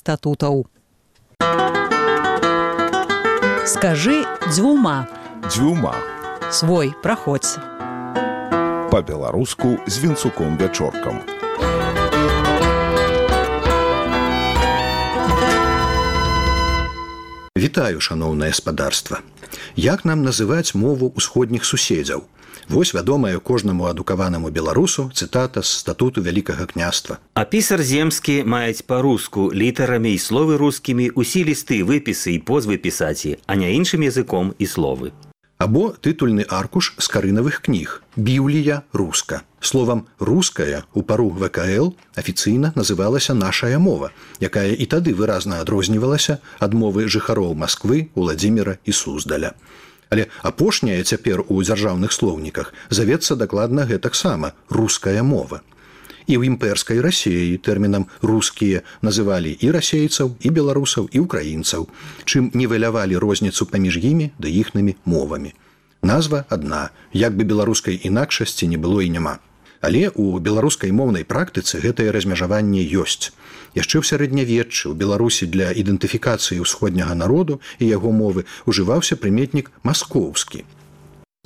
статутаў. Скажы дзвюма. Дзвюма. Свой, праходзь. Па-беларуску з Вінцуком-Вячоркам. Вітаю, шаноўнае спадарства. Як нам называць мову ўсходніх суседзяў? Вось вядомая кожнаму адукаванаму беларусу цытата з статуту Вялікага княства. А пісар земскі маюць па-руску літарамі і словы рускімі усе лісты, выпісы і позвы пісаці, а не іншым языком і словы. Або тытульны аркуш з карынавых кніг «Біблія руска». Словам «руская» у пару ВКЛ афіцыйна называлася «нашая мова», якая і тады выразна адрознівалася ад мовы жыхароў Масквы, Уладзіміра і Суздаля. Але апошняе цяпер у дзяржаўных слоўніках завецца дакладна гэтаксама «руская мова». І ў імперскай Расіі тэрмінам «рускія» называлі і расейцаў, і беларусаў, і ўкраінцаў, чым нівелявалі розніцу паміж імі ды іхнымі мовамі. Назва адна, як бы беларускай інакшасці не было і няма. Але ў беларускай моўнай практыцы гэтае размежаванне ёсць. Яшчэ ў сярэднявеччы ў Беларусі для ідэнтыфікацыі ўсходняга народу і яго мовы ўжываўся прыметнік «маскоўскі».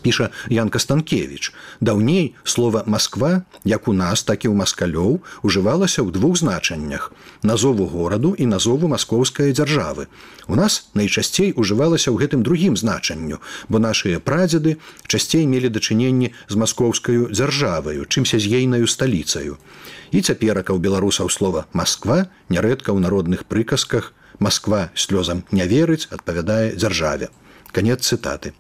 Піша Ян Кастанкевіч. Даўней слова «Масква», як у нас, так і ў маскалёў, ужывалася ў двух значаннях – назову гораду і назову маскоўскай дзяржавы. У нас найчасцей ужывалася ў гэтым другім значанню, бо нашыя прадзеды часцей мелі дачыненні з маскоўскаю дзяржаваю, чымся з ейнаю сталіцаю. І цяперака ў беларусаў слова «Масква» нярэдка ў народных прыказках «Масква слёзам не верыць» адпавядае дзяржаве. Канец цытаты.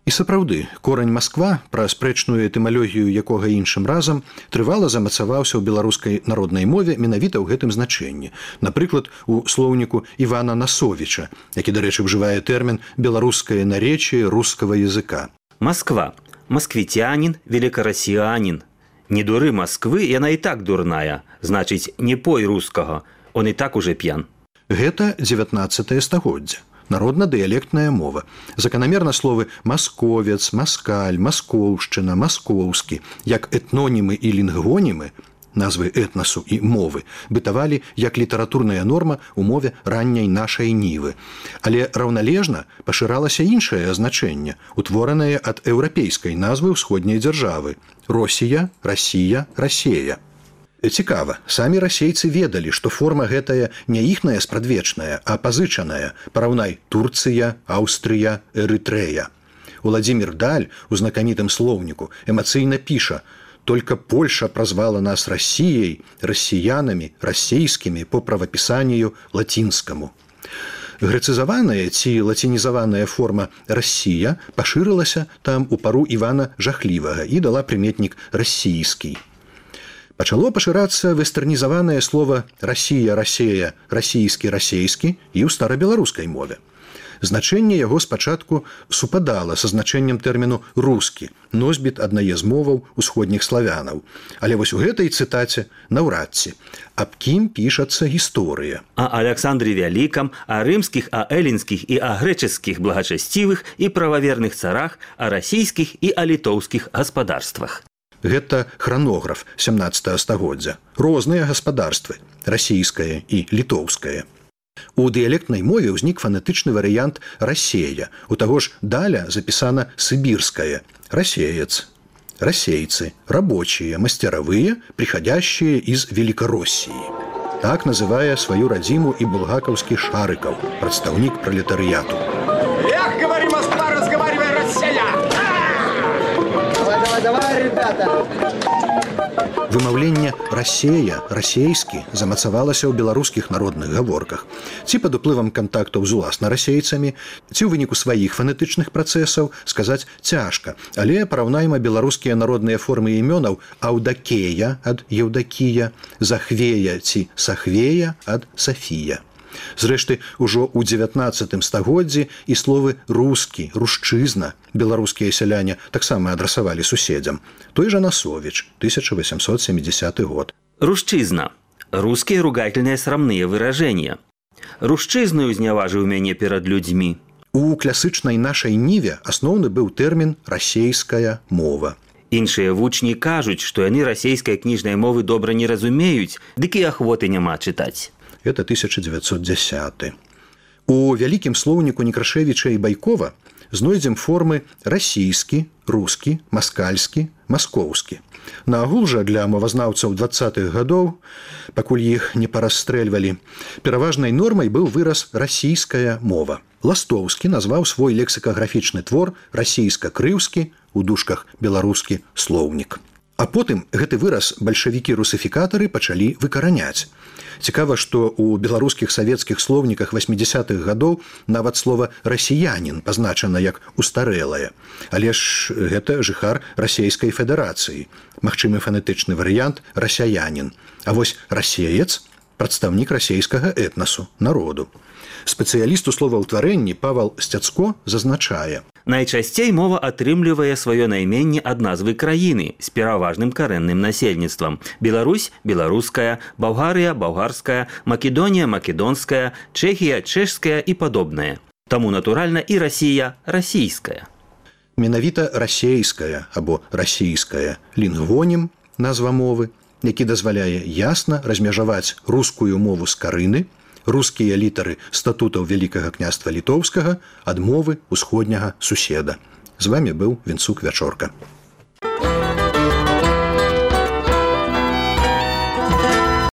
І сапраўды, корань «Масква», пра спрэчную этымалогію якога іншым разам, трывала замацаваўся ў беларускай народнай мове менавіта ў гэтым значэнні. Напрыклад, у слоўніку Івана Насовіча, які, дарэчы, ўжывае тэрмін «беларускае наречие рускага языка». Москва. Москвитянин, великороссиянин. Не дуры Москвы, яна і так дурная. Значыць, не пой рускага, он і так уже п'ян. Гэта 19 стагоддзя. Народна-дыялектная мова. Заканамерна словы «масковец», «маскаль», «маскоўшчына», «маскоўскі», як этнонімы і лінгвонімы, назвы этнасу і мовы, бытавалі як літаратурная норма ў мове ранняй нашай нівы. Але раўналежна пашыралася іншае значэнне, утворанае ад еўрапейскай назвы ўсходняй дзяржавы – Росія, Расія, Расея. Цікава, самі расейцы ведалі, што форма гэтая не іхная спрадвечная, а пазычаная. Параўнай Турцыя, Аўстрыя, Эрытрэя. Уладзімір Даль у знакамітым слоўніку эмацыйна піша: «Только Польша празвала нас Расіяй, расіянамі, расейскімі по правапісанню лацінскаму». Грэцызаваная ці лацінізаваная форма «Расія» пашырылася там у пару Івана Жахлівага і дала прыметнік «расійскі». Пачало пашырацца вестэрнізаванае слова «Расія», «Расея», «расійскі», «расейскі» і ў старабеларускай мове. Значэнне яго спачатку супадала са значэннем тэрміну «рускі», носьбіт аднае з моваў усходніх славянаў. Але вось у гэтай цытаце наўрад ці. Аб кім пішацца гісторыя? О Александре Вялікам, о рымскіх, о эллінскіх і о грэчаскіх благачасцівых і прававерных царах, о расійскіх і о літоўскіх гаспадарствах. Гэта хранограф 17 стагоддзя. Розныя гаспадарствы – расійскае і літоўскае. У дыялектнай мове ўзнік фанетычны варыянт «расея». У таго ж Даля запісана «сыбірскае» – «расеец». Расейцы – рабочие, мастеровые, приходящие из Великороссии. Так называе сваю радзіму і булгакаўскі Шарыкаў, прадстаўнік пролетарыяту. Эх, говори, Москва, разговаривай, Россия! Давай, ребята! Вымаўленне «расея», «расейскі» замацавалася ў беларускіх народных гаворках. Ці пад уплывам кантактаў з уласна расейцамі, ці ў выніку сваіх фанетычных працэсаў сказаць цяжка. Але параўнайма беларускія народныя формы імёнаў «Аўдакея» ад «Еўдакія», «Захвея» ці «Сахвея» ад «Сафія». Зрэшты, ужо ў 19 стагоддзі і словы «рускі», «рушчызна» беларускія сяляне таксама адрасавалі суседзям. Той жа Насовіч, 1870 год. Рушчызна. Русские ругательные срамные выражения. Рушчызную узняважыў мяне перад людзьмі. У класычнай нашай ніве асноўны быў тэрмін «расейская мова». Іншыя вучні кажуць, што яны расейскай кніжнай мовы добра не разумеюць, дык і ахвоты няма чытаць. это 1910. У вялікім слоўніку Некрашевіча і Байкова знойдзем формы расійскі, рускі, маскальскі, маскоўскі. Наагул жа для мовазнаўцаў 20-х гадоў, пакуль іх не парасстрэльвалі, пераважнай нормай быў выраз расійская мова. Ластоўскі назваў свой лексікаграфічны твор расійска-крыўскі, у дужках беларускі слоўнік. А потым гэты выраз бальшавікі-русыфікатары пачалі выкараняць. Цікава, што ў беларускіх савецкіх слоўніках 80-х гадоў нават слова «расіянін» пазначана як устарэлае. Але ж гэта жыхар расійскай федэрацыі. Магчымы фанетычны варыянт «расяянін». А вось «расеец» – прадстаўнік расійскага этнасу, народу. Спецыяліст у словаўтварэнні Павал Сцяцко зазначае: Найчасцей мова атрымлівае сваё найменне ад назвы краіны з пераважным карэнным насельніцтвам. Беларусь – беларуская, Балгарыя – балгарская, Македонія – македонская, Чэхія – чэшская і падобнае. Таму, натуральна, і Расія – расійская. Менавіта расейская або расійская лінгвонім, назва мовы, які дазваляе ясна размежаваць рускую мову з карыны, рускія літары статутаў Вялікага княства Літоўскага ад мовы ўсходняга суседа. З вамі быў Вінцук Вячорка.